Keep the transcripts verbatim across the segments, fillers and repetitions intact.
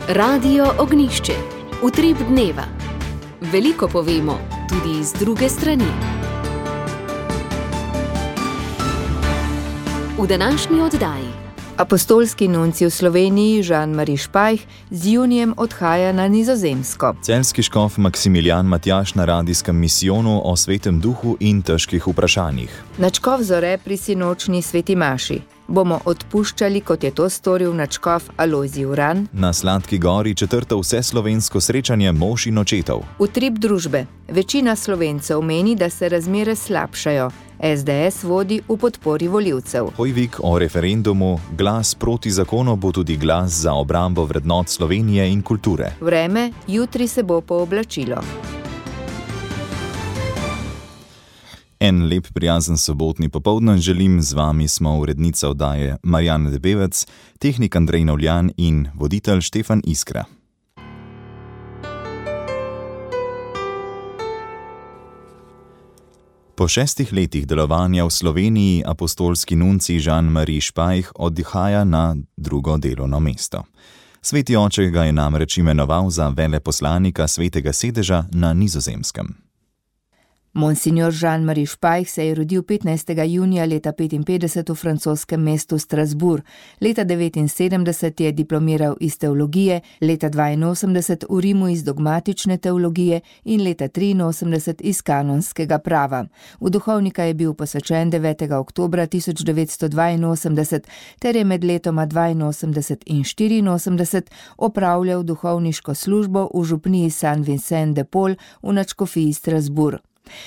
Radio Ognjišče. Utrip dneva. Veliko povemo, tudi iz druge strani. V današnji oddaji. Apostolski nuncij v Sloveniji Jean-Marie Spajch z junijem odhaja na Nizozemsko. Celjski škof Maksimilijan Matjaž na radijskem misijonu o svetem duhu in težkih vprašanjih. Nadškof Zore pri sinočni sveti maši. Bomo odpuščali, kot je to storil nadškof Alojzij Uran. Na Sladki gori četrto vseslovensko srečanje mož in očetov. Utrip družbe. Večina Slovencev meni, da se razmere slabšajo. es de es vodi v podpori volivcev. Hojvik o referendumu, glas proti zakonu bo tudi glas za obrambo vrednot Slovenije in kulture. Vreme, jutri se bo pooblačilo. En lep prijazen sobotni popoldan želim, z vami smo urednica oddaje Marjana Debevec, tehnik Andrej Novljan in voditelj Štefan Iskra. Po šestih letih delovanja v Sloveniji apostolski nuncij Jean-Marie Spajch odhaja na drugo delovno mesto. Sveti oče ga je namreč imenoval za veleposlanika Svetega sedeža na Nizozemskem. Monsignor Jean-Marie Spajch se je rodil petnajstega junija leta petinpetdeset v francoskem mestu Strasbourg. Leta devetinsedemdeset je diplomiral iz teologije, leta dvainosemdeset v Rimu iz dogmatične teologije in leta triinosemdeset iz kanonskega prava. V duhovnika je bil posvečen devetega oktobra tisoč devetsto dvainosemdeset ter je med letoma dvainosemdeset in štiriinosemdeset opravljal duhovniško službo v župniji Saint-Vincent-de-Paul v nadškofiji Strasbourg.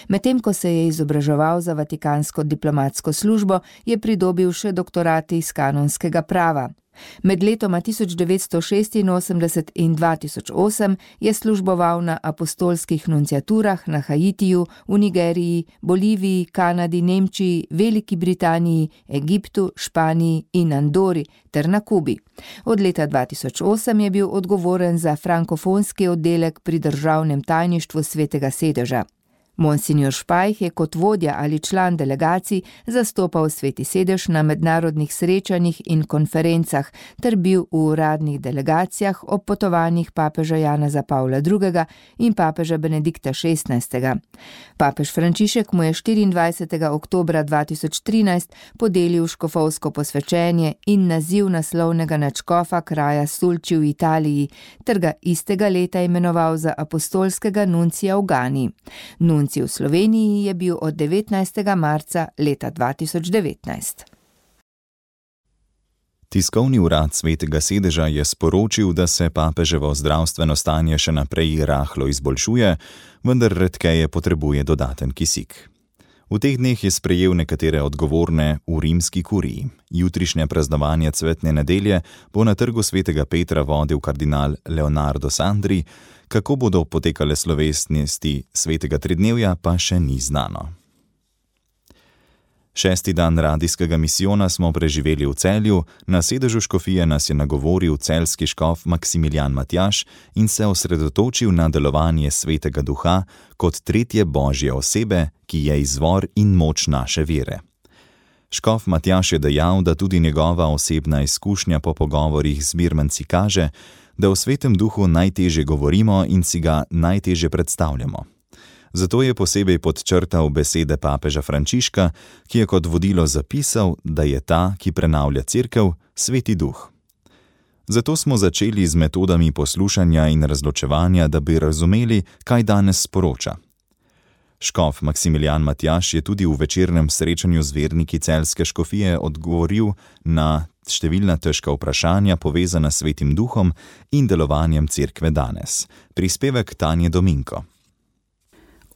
Medtem ko se je izobraževal za vatikansko diplomatsko službo, je pridobil še doktorat iz kanonskega prava. Med letoma tisoč devetsto šestinosemdeset in dva tisoč osem je služboval na apostolskih nunciaturah na Haitiju, v Nigeriji, Boliviji, Kanadi, Nemčiji, Veliki Britaniji, Egiptu, Španiji in Andori ter na Kubi. Od leta dva tisoč osem je bil odgovoren za frankofonski oddelek pri državnem tajništvu Svetega sedeža. Monsignor Spajch je kot vodja ali član delegacij zastopal Sveti sedež na mednarodnih srečanjih in konferencah ter bil v uradnih delegacijah ob potovanjih papeža Janeza Pavla drugega in papeža Benedikta šestnajstega. Papež Frančišek mu je štiriindvajsetega oktobra dva tisoč trinajst podelil škofovsko posvečenje in naziv naslovnega nadškofa kraja Sulči v Italiji ter ga istega leta imenoval za apostolskega nuncija v Gani. Nuncij v Sloveniji je bil od devetnajstega marca leta dva tisoč devetnajst. Tiskovni urad Svetega sedeža je sporočil, da se papeževo zdravstveno stanje še naprej rahlo izboljšuje, vendar redkeje potrebuje dodaten kisik. V teh dneh je sprejel nekatere odgovorne v rimski kuriji. Jutrišnje praznovanje cvetne nedelje bo na trgu Svetega Petra vodil kardinal Leonardo Sandri, kako bodo potekale slovesnosti svetega tridnevja, pa še ni znano. Šesti dan radijskega misijona smo preživeli v Celju, na sedežu škofije nas je nagovoril celjski škof Maksimilijan Matjaž in se osredotočil na delovanje Svetega Duha kot tretje božje osebe, ki je izvor in moč naše vere. Škof Matjaž je dejal, da tudi njegova osebna izkušnja po pogovorih z mirmanci kaže, da o Svetem Duhu najtežje govorimo in si ga najtežje predstavljamo. Zato je posebej podčrtal besede papeža Frančiška, ki je kot vodilo zapisal, da je ta, ki prenavlja cerkev, Sveti Duh. Zato smo začeli z metodami poslušanja in razločevanja, da bi razumeli, kaj danes sporoča. Škof Maksimilijan Matjaž je tudi v večernem srečanju z verniki celjske škofije odgovoril na številna težka vprašanja povezana s Svetim Duhom in delovanjem cerkve danes. Prispevek Tanje Dominko.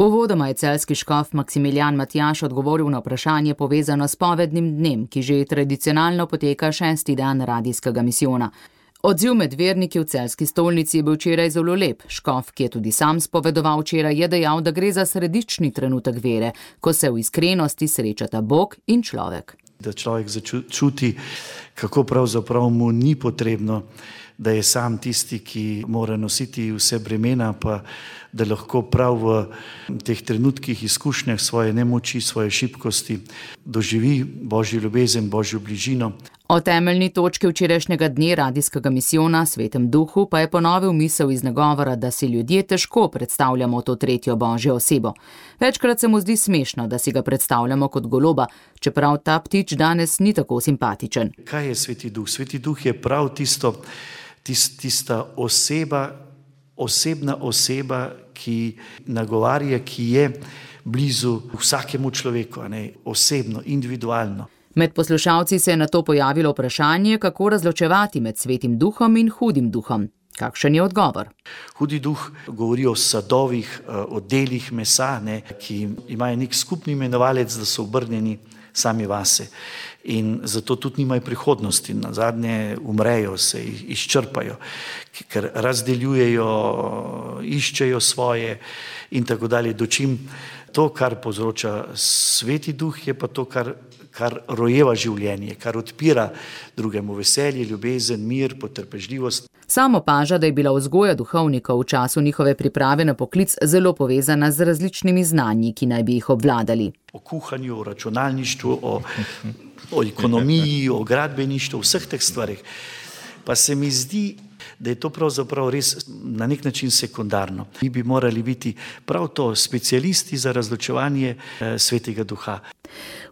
Uvodoma je celjski škof Maksimilijan Matjaž odgovoril na vprašanje povezano s povednim dnem, ki že tradicionalno poteka šesti dan radijskega misijona. Odziv med verniki v celjski stolnici je bil včeraj zelo lep. Škof, ki je tudi sam spovedoval včeraj, je dejal, da gre za središčni trenutek vere, ko se v iskrenosti srečata Bog in človek. Da človek začuti, kako pravzaprav mu ni potrebno, da je sam tisti, ki mora nositi vse bremena, pa da lahko prav v teh trenutkih izkušnjah svoje nemoči, svoje šibkosti doživi Božjo ljubezen, Božjo bližino. O temeljni točki včerajšnjega dne radijskega misijona Svetem duhu pa je ponovil misel iz nagovora, da si ljudje težko predstavljamo to tretjo božjo osebo. Večkrat se mu zdi smešno, da si ga predstavljamo kot goloba, čeprav ta ptič danes ni tako simpatičen. Kaj je Sveti duh? Sveti duh je prav tisto, tist, tista oseba, osebna oseba, ki nagovarja, ki je blizu vsakemu človeku, ne? Osebno, individualno. Med poslušalci se je nato pojavilo vprašanje, kako razločevati med Svetim duhom in hudim duhom. Kakšen je odgovor? Hudi duh govori o sadovih, o delih mesa, ne, ki imajo nek skupni imenovalec, da so obrnjeni sami vase. In zato tudi nimajo prihodnosti, nazadnje umrejo, se izčrpajo, ker razdeljujejo, iščejo svoje in tako dalje. Dočim to, kar povzroča Sveti duh, je pa to, kar kar rojeva življenje, kar odpira drugemu veselje, ljubezen, mir, potrpežljivost. Sam opaža, da je bila vzgoja duhovnikov v času njihove priprave na poklic zelo povezana z različnimi znanji, ki naj bi jih obvladali. O kuhanju, o računalništvu, o, o ekonomiji, o gradbeništvu, o vseh teh stvarih. Pa se mi zdi, da je to pravzaprav res na nek način sekundarno. Mi bi morali biti prav to specialisti za razločevanje eh, Svetega duha.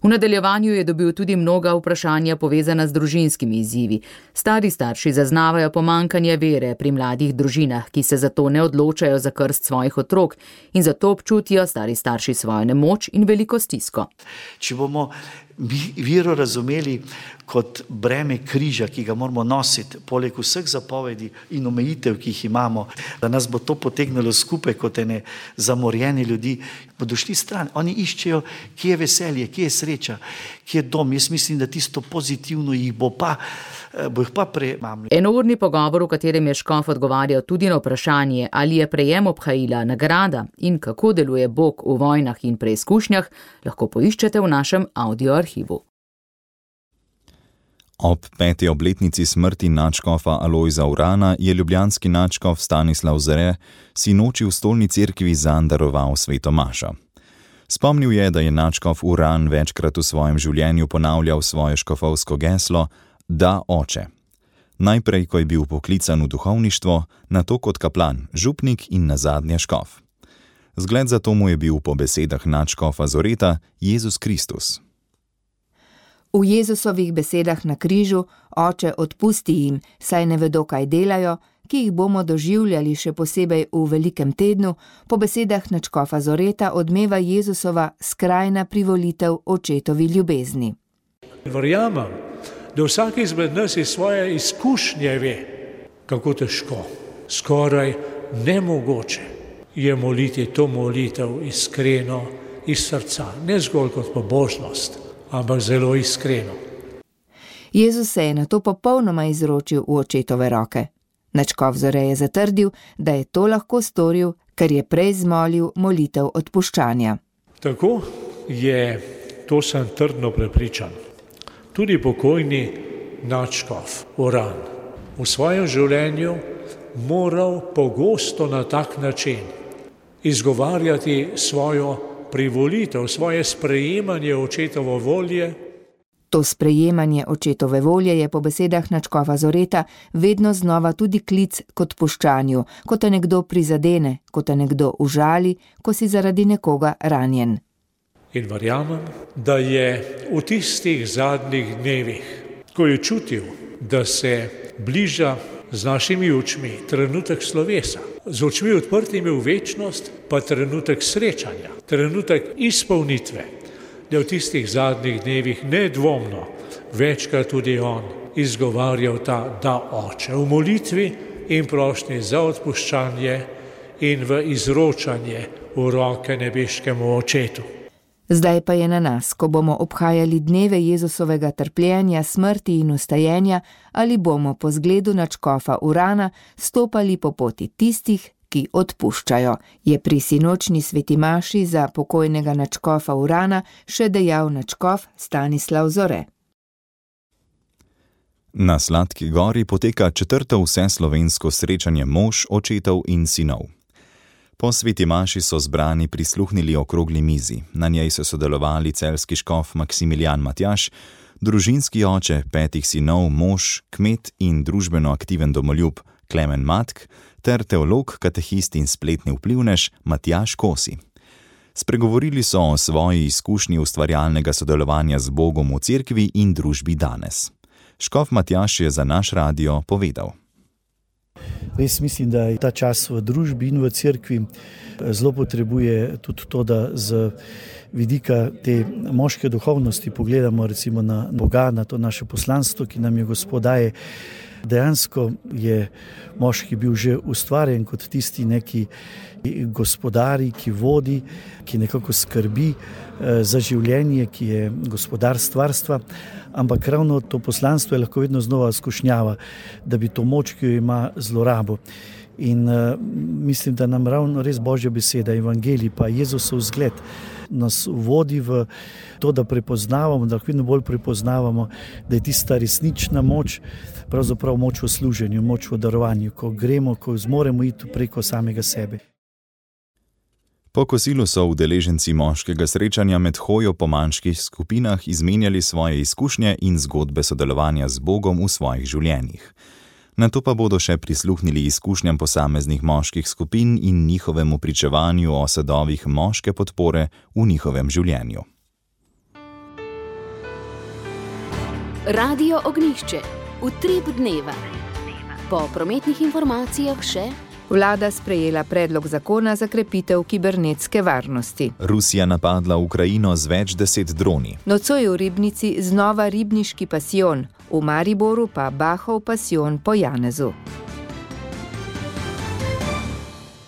V nadaljevanju je dobil tudi mnoga vprašanja povezana z družinskimi izzivi. Stari starši zaznavajo pomanjkanje vere pri mladih družinah, ki se zato ne odločajo za krst svojih otrok in zato občutijo stari starši svojo nemoč in veliko stisko. Če bomo vero razumeli kot breme križa, ki ga moramo nositi, poleg vseh zapovedi in omejitev, ki jih imamo, da nas bo to potegnilo skupaj kot ene zamorjene ljudi, bodo šli stran. Oni iščejo, kje je veselje, kje je sreča, kje je dom. Jaz mislim, da tisto pozitivno jih bo pa, bo jih pa premamljalo. Enourni pogovor, v katerem je škof odgovarjal tudi na vprašanje, ali je prejem obhajila nagrada in kako deluje Bog v vojnah in preizkušnjah, lahko poiščete v našem audioarhivu. Ob peti obletnici smrti nadškofa Alojza Urana je ljubljanski nadškof Stanislav Zore sinoči v Stolni cerkvi zanj daroval sveto mašo. Spomnil je, da je nadškof Uran večkrat v svojem življenju ponavljal svoje škofovsko geslo Da, oče. Najprej, ko je bil poklican v duhovništvo, nato kot kaplan, župnik in nazadnje škof. Zgled za to mu je bil po besedah nadškofa Zoreta Jezus Kristus. V Jezusovih besedah na križu, oče, odpusti jim, saj ne vedo, kaj delajo, ki jih bomo doživljali še posebej v velikem tednu, po besedah nadškofa Zoreta odmeva Jezusova skrajna privolitev očetovi ljubezni. Verjamem, da vsak izmed nas iz svoje izkušnje ve, kako težko, skoraj nemogoče je moliti to molitev iskreno iz srca, ne zgolj kot pobožnost, ampak zelo iskreno. Jezus se je nato popolnoma izročil v očetove roke. Nadškof Zore je zatrdil, da je to lahko storil, ker je prej zmolil molitev odpuščanja. Tako je, to sem trdno prepričan, tudi pokojni nadškof Uran v svojem življenju moral pogosto na tak način izgovarjati svojo privolitev, svoje sprejemanje očetovo volje. To sprejemanje očetove volje je po besedah nadškofa Zoreta vedno znova tudi klic k odpuščanju, ko te nekdo prizadene, ko te nekdo užali, ko si zaradi nekoga ranjen. In verjamem, da je v tistih zadnjih dnevih, ko je čutil, da se bliža z našimi očmi trenutek slovesa, z očmi odprtimi v večnost, pa trenutek srečanja, trenutek izpolnitve, da v tistih zadnjih dnevih nedvomno večkrat tudi on izgovarjal ta da, oče, v molitvi in prošnji za odpuščanje in v izročanje v roke nebeškemu očetu. Zdaj pa je na nas, ko bomo obhajali dneve Jezusovega trpljenja, smrti in vstajenja, ali bomo po zgledu nadškofa Urana stopali po poti tistih, ki odpuščajo, je pri sinočni sveti maši za pokojnega nadškofa Urana še dejal nadškof Stanislav Zore. Na Sladki gori poteka četrto vseslovensko srečanje mož, očetov in sinov. Po sveti maši so zbrani prisluhnili okrogli mizi. Na njej so sodelovali celjski škof Maksimilijan Matjaš, Družinski oče petih sinov, mož, kmet in družbeno aktiven domoljub Klemen Matk ter teolog, katehist in spletni vplivnež Matjaž Kosi. Spregovorili so o svoji izkušnji ustvarjalnega sodelovanja z Bogom v cerkvi in družbi danes. Škof Matjaž je za naš radio povedal. Res mislim, da je ta čas v družbi in v cerkvi zelo potrebuje tudi to, da z vidika te moške duhovnosti pogledamo recimo na Boga, na to naše poslanstvo, ki nam je Gospod daje. Dejansko je moški bil že ustvarjen kot tisti neki gospodari, ki vodi, ki nekako skrbi za življenje, ki je gospodar stvarstva, ampak ravno to poslanstvo je lahko vedno znova skušnjava, da bi to moč, ki jo ima, zlorabo. In uh, mislim, da nam ravno res Božja beseda, evangelij pa Jezusov zgled nas vodi v to, da prepoznavamo, da vedno bolj prepoznavamo, da je tista resnična moč, pravzaprav moč v služenju, moč v darovanju, ko gremo, ko zmoremo iti preko samega sebe. Po kosilu so udeleženci moškega srečanja med hojo po manjših skupinah izmenjali svoje izkušnje in zgodbe sodelovanja z Bogom v svojih življenjih. Nato pa bodo še prisluhnili izkušnjam posameznih moških skupin in njihovemu pričevanju o sadovih moške podpore v njihovem življenju. Radio Ognjišče. Utrip dneva. Po prometnih informacijah še Vlada sprejela predlog zakona za krepitev kibernetske varnosti. Rusija napadla Ukrajino z več deset droni. Nocoj v Ribnici znova ribniški pasijon, v Mariboru pa Bahov pasijon po Janezu.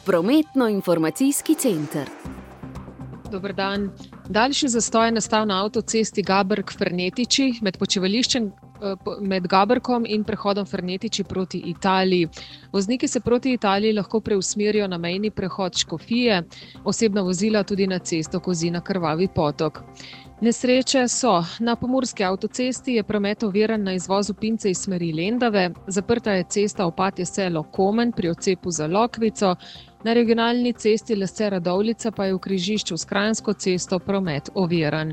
Prometno-informacijski center. Dober dan. Daljši zastoj je nastal na avtocesti Gaberg-Fernetiči med počivališčem med Gaberkom in prehodom Fernetiči proti Italiji. Vozniki se proti Italiji lahko preusmerijo na mejni prehod Škofije, osebna vozila tudi na cesto Kozina-Krvavi potok. Nesreče so. Na pomurski avtocesti je promet oviran na izvozu Pince iz smeri Lendave, zaprta je cesta Opatje selo-Komen pri odcepu za Lokvico, na regionalni cesti Lesce-Radovljica pa je v križišču s Kranjsko cesto promet oviran.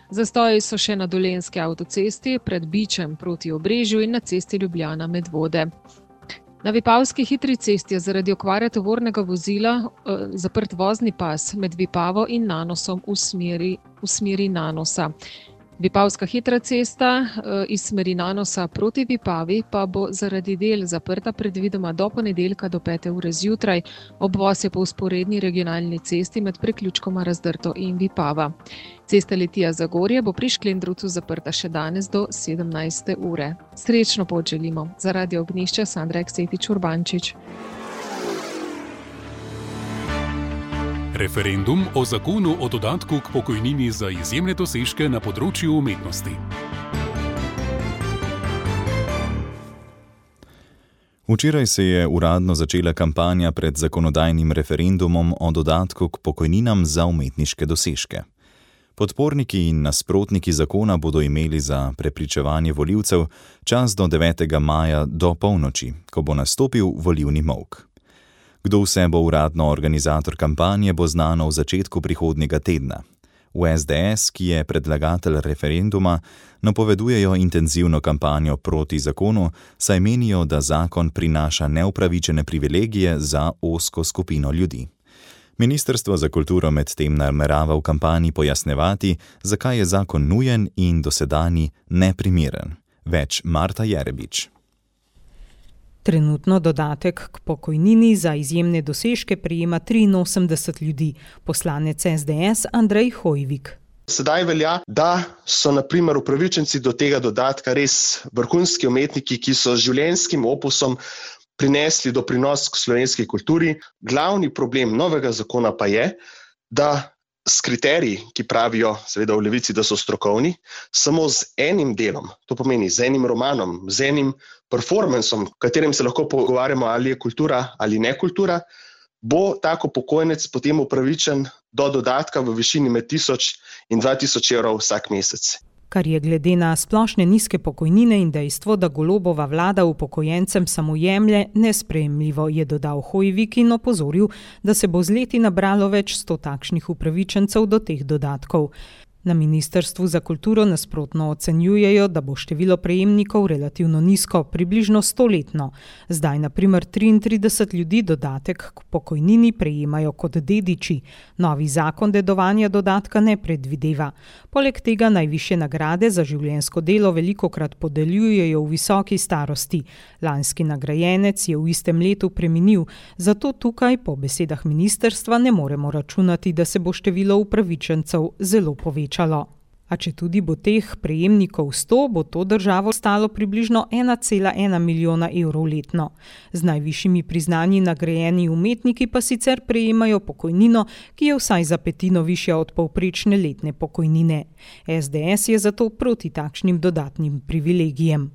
Zastoji so še na Dolenjski avtocesti, pred Bičem proti Obrežju in na cesti Ljubljana-Medvode. Na Vipavski hitri cesti je zaradi okvare tovornega vozila eh, zaprt vozni pas med Vipavo in Nanosom v smeri, v smeri Nanosa. Vipavska hitra cesta eh, iz smeri Nanosa proti Vipavi pa bo zaradi del zaprta predvidoma do ponedeljka do pete ure zjutraj. Obvoz je po vzporedni regionalni cesti med priključkoma Razdrto in Vipava. Cesta Litija-Zagorje bo pri Šklendrucu zaprta še danes do sedemnajste ure. Srečno pot želimo. Za Radio Ognjišče Sandra Eksetič-Urbančič. Referendum o zakonu o dodatku k pokojnini za izjemne dosežke na področju umetnosti. Včeraj se je uradno začela kampanja pred zakonodajnim referendumom o dodatku k pokojninam za umetniške dosežke. Podporniki in nasprotniki zakona bodo imeli za prepričevanje volivcev čas do devetega maja do polnoči, ko bo nastopil volilni molk. Kdo vse bo uradno organizator kampanje, bo znano v začetku prihodnjega tedna. V es de es, ki je predlagatelj referenduma, napovedujejo intenzivno kampanjo proti zakonu, saj menijo, da zakon prinaša neupravičene privilegije za ozko skupino ljudi. Ministrstvo za kulturo medtem namerava v kampanji pojasnjevati, zakaj je zakon nujen in dosedanji neprimeren. Več Marta Jerebič. Trenutno dodatek k pokojnini za izjemne dosežke prejema triinosemdeset ljudi, poslanec es de es Andrej Hojvik. Sedaj velja, da so na primer upravičenci do tega dodatka res vrhunski umetniki, ki so z življenjskim opusom prinesli doprinos k slovenski kulturi. Glavni problem novega zakona pa je, da s kriteriji, ki pravijo seveda v Levici, da so strokovni, samo z enim delom, to pomeni z enim romanom, z enim performansom, v katerem se lahko pogovarjamo, ali je kultura ali ne kultura, bo tako upokojenec potem upravičen do dodatka v višini med tisoč in dva tisoč evrov vsak mesec. Kar je glede na splošne nizke pokojnine in dejstvo, da Golobova vlada upokojencem samo jemlje, nesprejemljivo, je dodal Hojvik in opozoril, da se bo z leti nabralo več sto takšnih upravičencev do teh dodatkov. Na Ministrstvu za kulturo nasprotno ocenjujejo, da bo število prejemnikov relativno nizko, približno stoletno. Zdaj na primer triintrideset ljudi dodatek k pokojnini prejemajo kot dediči. Novi zakon dedovanja dodatka ne predvideva. Poleg tega najvišje nagrade za življenjsko delo velikokrat podeljujejo v visoki starosti. Lanski nagrajenec je v istem letu preminil, zato tukaj po besedah ministrstva ne moremo računati, da se bo število upravičencev zelo povečalo. A če tudi bo teh prejemnikov sto, bo to državo stalo približno ena cela ena milijona evrov letno. Z najvišjimi priznanji nagrajeni umetniki pa sicer prejemajo pokojnino, ki je vsaj za petino višja od povprečne letne pokojnine. es de es je zato proti takšnim dodatnim privilegijem.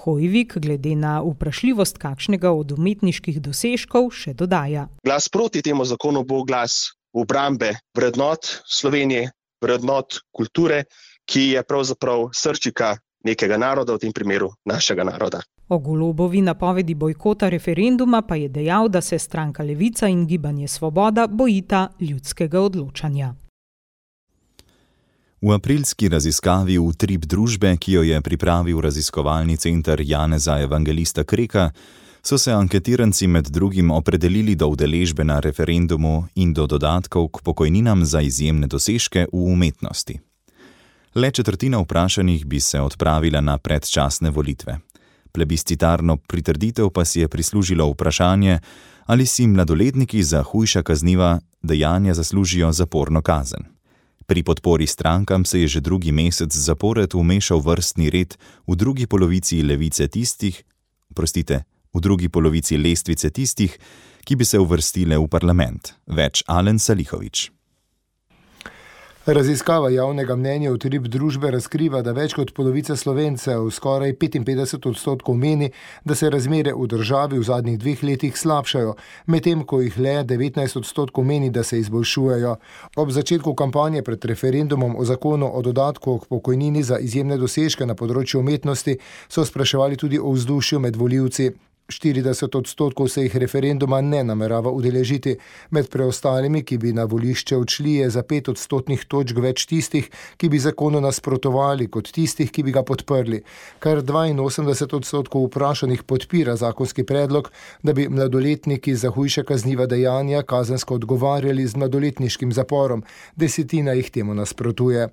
Hojvik glede na vprašljivost kakšnega od umetniških dosežkov še dodaja. Glas proti temu zakonu bo glas obrambe vrednot Slovenije, vrednot kulture, ki je pravzaprav srčika nekega naroda, v tem primeru našega naroda. O Golobovi napovedi bojkota referenduma pa je dejal, da se stranka Levica in Gibanje Svoboda bojita ljudskega odločanja. V aprilski raziskavi Utrip družbe, ki jo je pripravil raziskovalni center Janeza Evangelista Kreka, so se anketiranci med drugim opredelili do udeležbe na referendumu in do dodatkov k pokojninam za izjemne dosežke v umetnosti. Le četrtina vprašanih bi se odpravila na predčasne volitve. Plebiscitarno pritrditev pa si je prislužilo vprašanje, ali si mladoletniki za hujša kazniva dejanja zaslužijo zaporno kazen. Pri podpori strankam se je že drugi mesec zapored vmešal vrstni red v drugi polovici levice tistih, prostite, v drugi polovici lestvice tistih, ki bi se uvrstile v parlament. Več Alen Salihović. Raziskava javnega mnenja Utrip družbe razkriva, da več kot polovica Slovencev, skoraj petinpetdeset odstotkov meni, da se razmere v državi v zadnjih dveh letih slabšajo, medtem ko jih le devetnajst odstotkov meni, da se izboljšujejo. Ob začetku kampanje pred referendumom o zakonu o dodatku k pokojnini za izjemne dosežke na področju umetnosti so spraševali tudi o vzdušju med volivci. štirideset odstotkov se jih referenduma ne namerava udeležiti. Med preostalimi, ki bi na volišče odšli, je za pet odstotnih točk več tistih, ki bi zakonu nasprotovali, kot tistih, ki bi ga podprli. Kar dvainosemdeset odstotkov vprašanih podpira zakonski predlog, da bi mladoletniki za hujša kazniva dejanja kazensko odgovarjali z mladoletniškim zaporom. Desetina jih temu nasprotuje.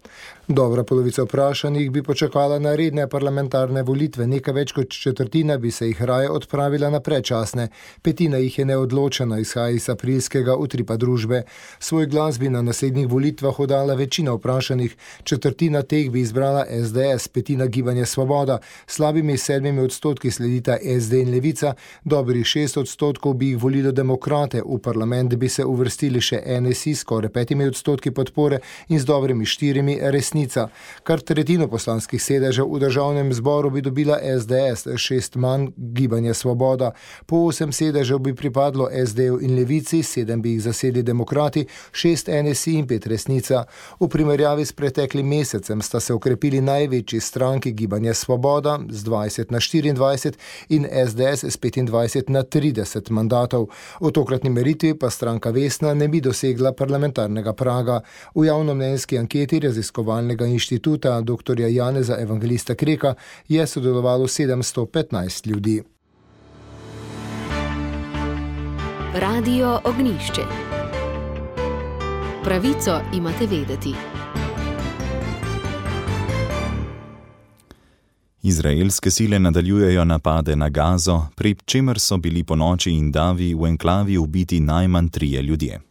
Dobra polovica vprašanih bi počakala na redne parlamentarne volitve, nekaj več kot četrtina bi se jih raje odpravila na predčasne. Petina jih je neodločena, izhaja iz aprilskega Utripa družbe. Svoj glas bi na naslednjih volitvah oddala večina vprašanih, četrtina teh bi izbrala es de es, petina Gibanje Svoboda, slabimi sedmimi odstotki sledita es de in Levica, dobrih šest odstotkov bi jih volilo demokrate, v parlament bi se uvrstili še en es i, skoraj petimi odstotki podpore in z dobrimi štirimi Resnica. Kar tretjino poslanskih sedežev v državnem zboru bi dobila es de es, šest manj Gibanje Svoboda. Po osem sedežev bi pripadlo es de-ju in Levici, sedem bi jih zasedli demokrati, šest en es i in pet Resnica. V primerjavi s preteklim mesecem sta se okrepili največji stranki Gibanje Svoboda z dvajset na štiriindvajset in es de es s petindvajset na trideset mandatov. V tokratni meritvi pa stranka Vesna ne bi dosegla parlamentarnega praga. V javnomnenjski anketi raziskovalnega inštituta doktorja Janeza Evangelista Kreka je sodelovalo sedemsto petnajst ljudi. Radio Ognjišče. Pravico imate vedeti. Izraelske sile nadaljujejo napade na Gazo, pri čemer so bili ponoči in davi v enklavi ubiti najmanj trije ljudje.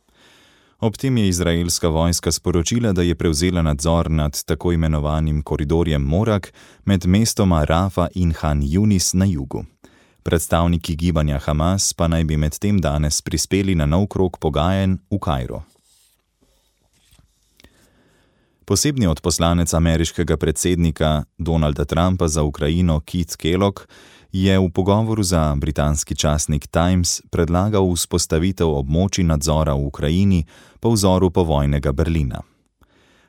Ob tem je izraelska vojska sporočila, da je prevzela nadzor nad tako imenovanim koridorjem Morak med mestoma Rafa in Han Yunis na jugu. Predstavniki gibanja Hamas pa naj bi med tem danes prispeli na nov krog pogajanj v Kairu. Posebni odposlanec ameriškega predsednika Donalda Trumpa za Ukrajino Keith Kellogg je v pogovoru za britanski časnik Times predlagal vzpostavitev območij nadzora v Ukrajini po vzoru povojnega Berlina.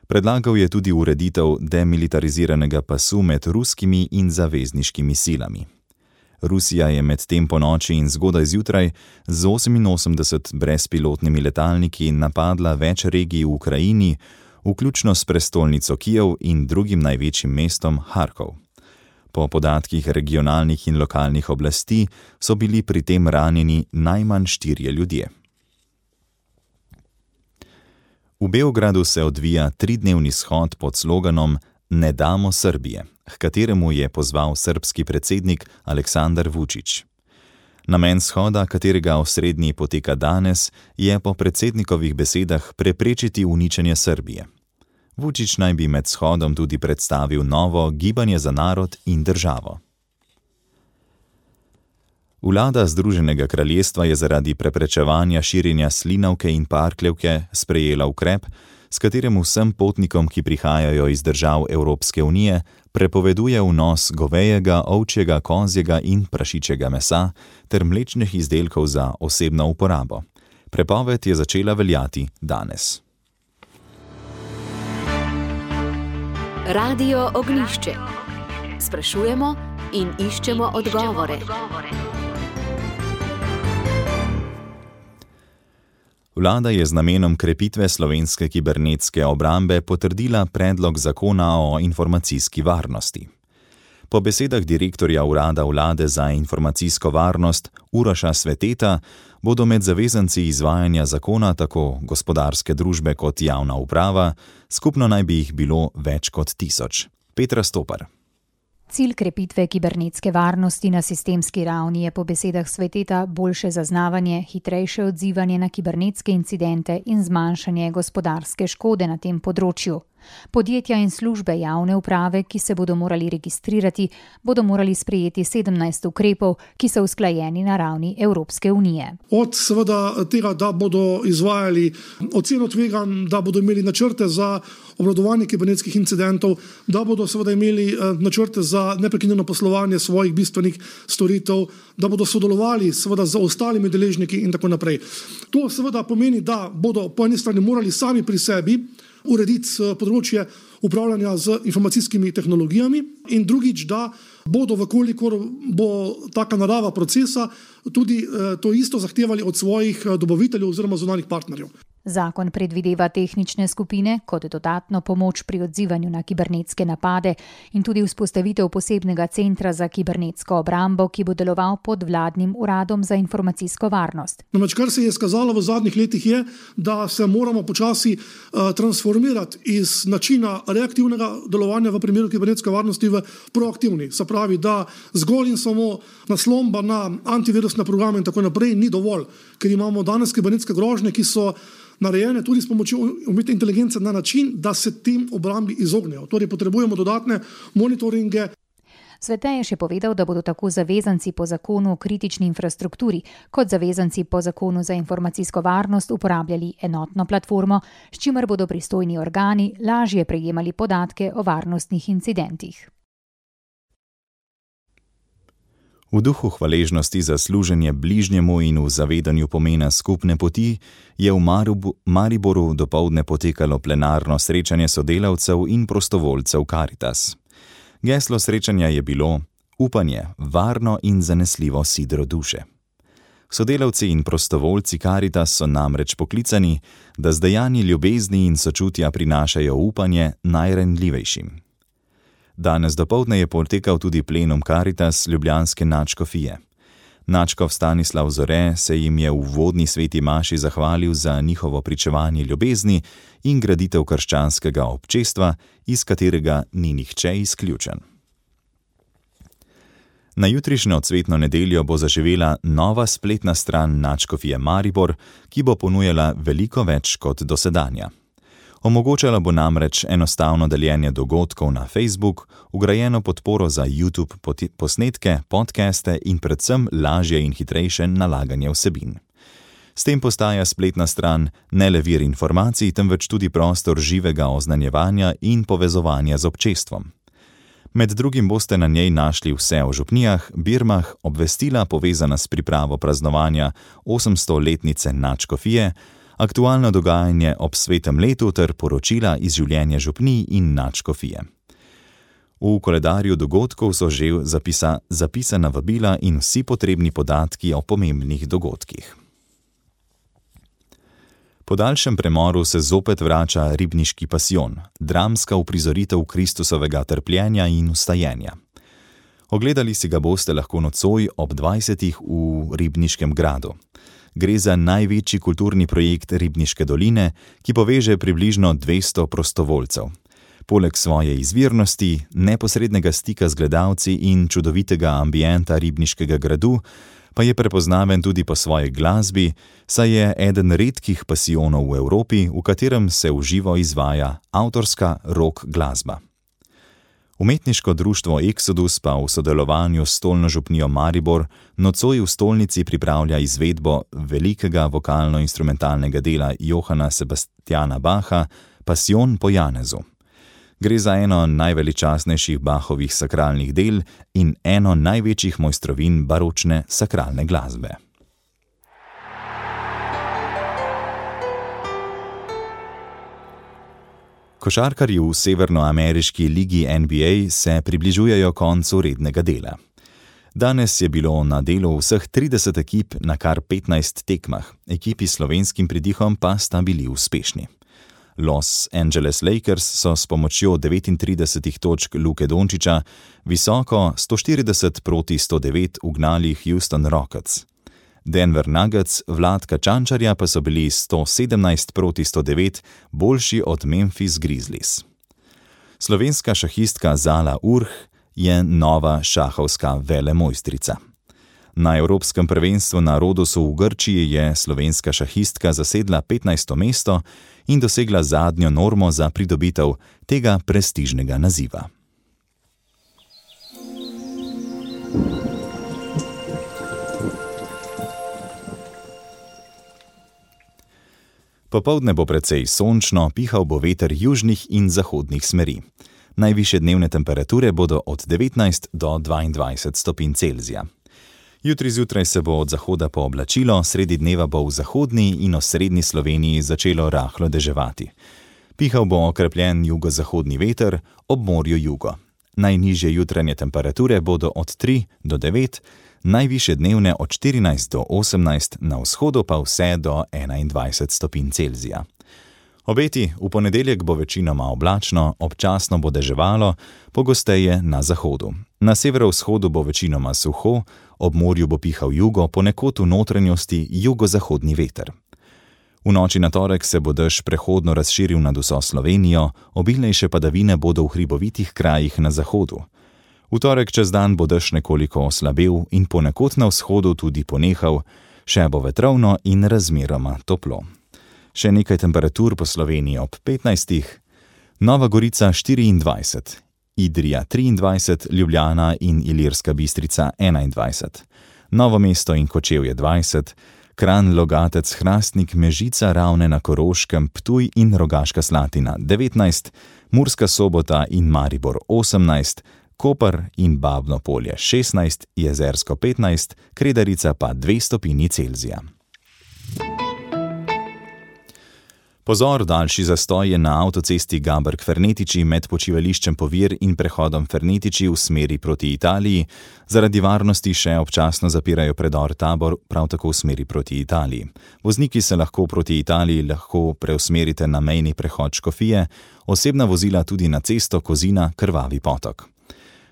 Predlagal je tudi ureditev demilitariziranega pasu med ruskimi in zavezniškimi silami. Rusija je med tem ponoči in zgodaj zjutraj z oseminosemdeset brezpilotnimi letalniki napadla več regij v Ukrajini, vključno s prestolnico Kijev in drugim največjim mestom Harkov. Po podatkih regionalnih in lokalnih oblasti so bili pri tem ranjeni najmanj štirje ljudje. V Beogradu se odvija tridnevni shod pod sloganom Ne damo Srbije, h kateremu je pozval srbski predsednik Aleksandar Vučić. Namen shoda, katerega osrednji poteka danes, je po predsednikovih besedah preprečiti uničenje Srbije. Vučić naj bi med shodom tudi predstavil novo Gibanje za narod in državo. Vlada Združenega kraljestva je zaradi preprečevanja širjenja slinavke in parkljevke sprejela ukrep, s katerim vsem potnikom, ki prihajajo iz držav Evropske unije, prepoveduje vnos govejega, ovčjega, kozjega in prašičjega mesa ter mlečnih izdelkov za osebno uporabo. Prepoved je začela veljati danes. Radio Ognjišče. Sprašujemo in iščemo odgovore. Vlada je z namenom krepitve slovenske kibernetske obrambe potrdila predlog zakona o informacijski varnosti. Po besedah direktorja urada vlade za informacijsko varnost Uroša Sveteta bodo med zavezanci izvajanja zakona tako gospodarske družbe kot javna uprava, skupno naj bi jih bilo več kot tisoč. Petra Stopar. Cilj krepitve kibernetske varnosti na sistemski ravni je po besedah Sveteta boljše zaznavanje, hitrejše odzivanje na kibernetske incidente in zmanjšanje gospodarske škode na tem področju. Podjetja in službe javne uprave, ki se bodo morali registrirati, bodo morali sprejeti sedemnajst ukrepov, ki so usklajeni na ravni Evropske unije. Od seveda tega, da bodo izvajali oceno tveganj, da bodo imeli načrte za obvladovanje kibernetskih incidentov, da bodo seveda imeli načrte za neprekinjeno poslovanje svojih bistvenih storitev, da bodo sodelovali seveda z ostalimi deležniki in tako naprej. To seveda pomeni, da bodo po eni strani morali sami pri sebi urediti področje upravljanja z informacijskimi tehnologijami in drugič, da bodo, vkolikor bo taka narava procesa, tudi to isto zahtevali od svojih dobaviteljev oziroma zunanjih partnerjev. Zakon predvideva tehnične skupine kot dodatno pomoč pri odzivanju na kibernetske napade in tudi vzpostavitev posebnega centra za kibernetsko obrambo, ki bo deloval pod vladnim uradom za informacijsko varnost. Namreč, kar se je skazalo v zadnjih letih je, da se moramo počasi uh, transformirati iz načina reaktivnega delovanja v primeru kibernetske varnosti v proaktivni. Se pravi, da zgolj in samo naslomba na antivirusne programe in tako naprej ni dovolj, ker imamo danes kibernetske grožnje, ki so narejene tudi s pomočjo umetne inteligence na način, da se tem obrambi izognejo. Torej potrebujemo dodatne monitoringe. Svete je še povedal, da bodo tako zavezanci po zakonu o kritični infrastrukturi kot zavezanci po zakonu za informacijsko varnost uporabljali enotno platformo, s čimer bodo pristojni organi lažje prejemali podatke o varnostnih incidentih. V duhu hvaležnosti za služenje bližnjemu in v zavedanju pomena skupne poti je v Mariboru dopoldne potekalo plenarno srečanje sodelavcev in prostovoljcev Karitas. Geslo srečanja je bilo upanje, varno in zanesljivo sidro duše. Sodelavci in prostovoljci Karitas so namreč poklicani, da z dejanji ljubezni in sočutja prinašajo upanje najranljivejšim. Danes dopoldne je potekal tudi plenum Karitas ljubljanske nadškofije. Nadškof Stanislav Zore se jim je v uvodni sveti maši zahvalil za njihovo pričevanje ljubezni in graditev krščanskega občestva, iz katerega ni nihče izključen. Na jutrišnjo cvetno nedeljo bo zaživela nova spletna stran nadškofije Maribor, ki bo ponujala veliko več kot dosedanja. Omogočala bo namreč enostavno deljenje dogodkov na Facebook, vgrajeno podporo za YouTube posnetke, podcaste in predvsem lažje in hitrejše nalaganje vsebin. S tem postaja spletna stran ne le vir informacij, temveč tudi prostor živega oznanjevanja in povezovanja z občestvom. Med drugim boste na njej našli vse o župnijah, birmah, obvestila povezana s pripravo praznovanja osemstoletnice nadškofije, aktualno dogajanje ob svetem letu ter poročila iz življenja župnij in nadškofije. V koledarju dogodkov so že zapisa, zapisana vabila in vsi potrebni podatki o pomembnih dogodkih. Po daljšem premoru se zopet vrača ribniški pasijon, dramska uprizoritev Kristusovega trpljenja in vstajenja. Ogledali si ga boste lahko nocoj ob dvajsetih v Ribniškem gradu. Gre za največji kulturni projekt Ribniške doline, ki poveže približno dvesto prostovoljcev. Poleg svoje izvirnosti, neposrednega stika z gledalci in čudovitega ambienta Ribniškega gradu, pa je prepoznaven tudi po svoji glasbi, saj je eden redkih pasijonov v Evropi, v katerem se v živo izvaja avtorska rock glasba. Umetniško društvo Exodus pa v sodelovanju s Stolno župnijo Maribor nocoj v stolnici pripravlja izvedbo velikega vokalno-instrumentalnega dela Johana Sebastiana Bacha Pasijon po Janezu. Gre za eno najveličastnejših Bachovih sakralnih del in eno največjih mojstrovin baročne sakralne glasbe. Košarkarji v severnoameriški ligi N B A se približujejo koncu rednega dela. Danes je bilo na delu vseh trideset ekip na kar petnajst tekmah, ekipi s slovenskim pridihom pa sta bili uspešni. Los Angeles Lakers so s pomočjo devetintrideset točk Luke Dončića visoko sto štirideset proti sto devet ugnali Houston Rockets. Denver Nuggets Vladka Čančarja pa so bili sto sedemnajst proti sto devet boljši od Memphis Grizzlies. Slovenska šahistka Zala Urh je nova šahovska velemojstrica. Na Evropskem prvenstvu na Rodosu v Grčiji je slovenska šahistka zasedla petnajsto mesto in dosegla zadnjo normo za pridobitev tega prestižnega naziva. Popoldne bo precej sončno, pihal bo veter južnih in zahodnih smeri. Najvišje dnevne temperature bodo od devetnajst do dvaindvajset stopinj Celzija. Jutri zjutraj se bo od zahoda pooblačilo, sredi dneva bo v zahodni in osrednji Sloveniji začelo rahlo deževati. Pihal bo okrepljen jugozahodni veter, ob morju jugo. Najnižje jutranje temperature bodo od tri do devet, najvišje dnevne od štirinajst do osemnajst, na vzhodu pa vse do enaindvajset stopinj Celzija. Obeti: v ponedeljek bo večinoma oblačno, občasno bo deževalo, pogosteje na zahodu. Na severovzhodu bo večinoma suho, ob morju bo pihal jugo, ponekod v notranjosti jugozahodni veter. V noči na torek se bo dež prehodno razširil nad vso Slovenijo, obilnejše padavine bodo v hribovitih krajih na zahodu. V torek čez dan bo dež nekoliko oslabel in ponekod na vzhodu tudi ponehal, še bo vetrovno in razmeroma toplo. Še nekaj temperatur po Sloveniji ob petnajstih, Nova Gorica štiriindvajset, Idrija triindvajset, Ljubljana in Ilirska Bistrica enaindvajset, Novo mesto in Kočevje dvajset, Kranj, Logatec, Hrastnik, Mežica, Ravne na Koroškem, Ptuj in Rogaška Slatina devetnajst, Murska Sobota in Maribor osemnajst, Koper in Babno Polje šestnajst, Jezersko petnajst, Kredarica pa dve stopinji Celzija. Pozor, daljši zastoj je na avtocesti Gaberg-Fernetiči med počivališčem Povir in prehodom Fernetiči v smeri proti Italiji. Zaradi varnosti še občasno zapirajo predor Tabor, prav tako v smeri proti Italiji. Vozniki se lahko proti Italiji lahko preusmerite na mejni prehod Škofije, osebna vozila tudi na cesto Kozina Krvavi potok.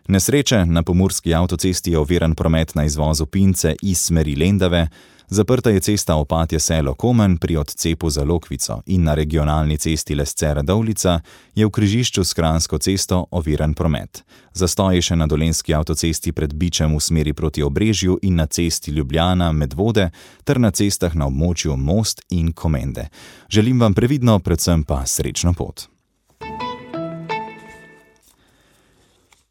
Nesreče: na pomurski avtocesti je oviran promet na izvozu Pince iz smeri Lendave, zaprta je cesta Opatje selo-Komen pri odcepu za Lokvico in na regionalni cesti Lesce-Radovljica je v križišču s Kranjsko cesto oviran promet. Zastoj je še na dolenjski avtocesti pred Bičem v smeri proti Obrežju in na cesti Ljubljana Medvode ter na cestah na območju Most in Komende. Želim vam previdno, predvsem pa srečno pot.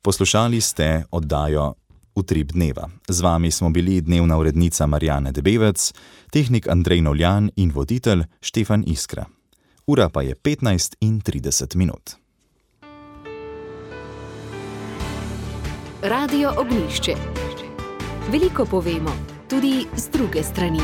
Poslušali ste oddajo Utrip dneva. Z vami smo bili dnevna urednica Marjana Debevec, tehnik Andrej Novljan in voditelj Štefan Iskra. Ura pa je petnajst in trideset minut. Radio Ognjišče. Veliko povemo, tudi z druge strani.